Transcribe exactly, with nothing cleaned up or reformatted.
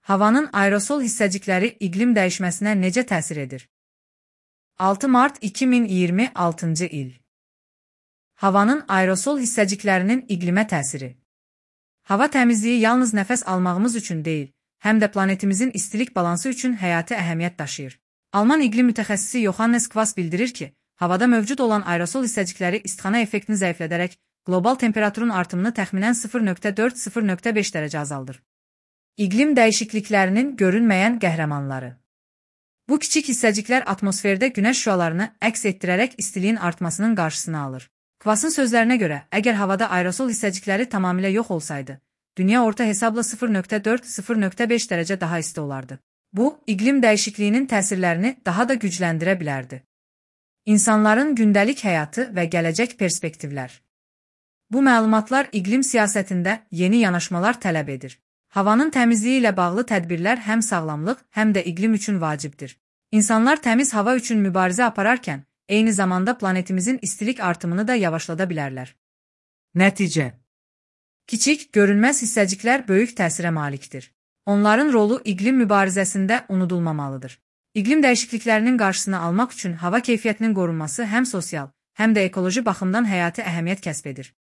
Havanın aerosol hissəcikləri iqlim dəyişməsinə necə təsir edir? altı mart iki min iyirmi altıncı il. Havanın aerosol hissəciklərinin iqlimə təsiri. Hava təmizliyi yalnız nəfəs almağımız üçün deyil, həm də planetimizin istilik balansı üçün həyati əhəmiyyət daşıyır. Alman iqlim mütəxəssisi Johannes Quast bildirir ki, havada mövcud olan aerosol hissəcikləri istixana effektini zəiflədərək qlobal temperaturun artımını təxminən sıfır nöqtə dörd - sıfır nöqtə beş dərəcə azaldır. İqlim dəyişikliklərinin görünməyən qəhrəmanları. Bu kiçik hissəciklər atmosferdə günəş şüalarını əks etdirərək istiliyin artmasının qarşısını alır. Quast'ın sözlərinə görə, əgər havada aerosol hissəcikləri tamamilə yox olsaydı, dünya orta hesabla sıfır nöqtə dörd - sıfır nöqtə beş dərəcə daha isti olardı. Bu, iqlim dəyişikliyinin təsirlərini daha da gücləndirə bilərdi. İnsanların gündəlik həyatı və gələcək perspektivlər. Bu məlumatlar iqlim siyasətində yeni yanaşmalar tələb edir. Havanın təmizliyi ilə bağlı tədbirlər həm sağlamlıq, həm də iqlim üçün vacibdir. İnsanlar təmiz hava üçün mübarizə apararkən, eyni zamanda planetimizin istilik artımını da yavaşlada bilərlər. Nəticə. Kiçik, görünməz hissəciklər böyük təsirə malikdir. Onların rolu iqlim mübarizəsində unudulmamalıdır. İqlim dəyişikliklərinin qarşısını almaq üçün hava keyfiyyətinin qorunması həm sosial, həm də ekoloji baxımdan həyati əhəmiyyət kəsb edir.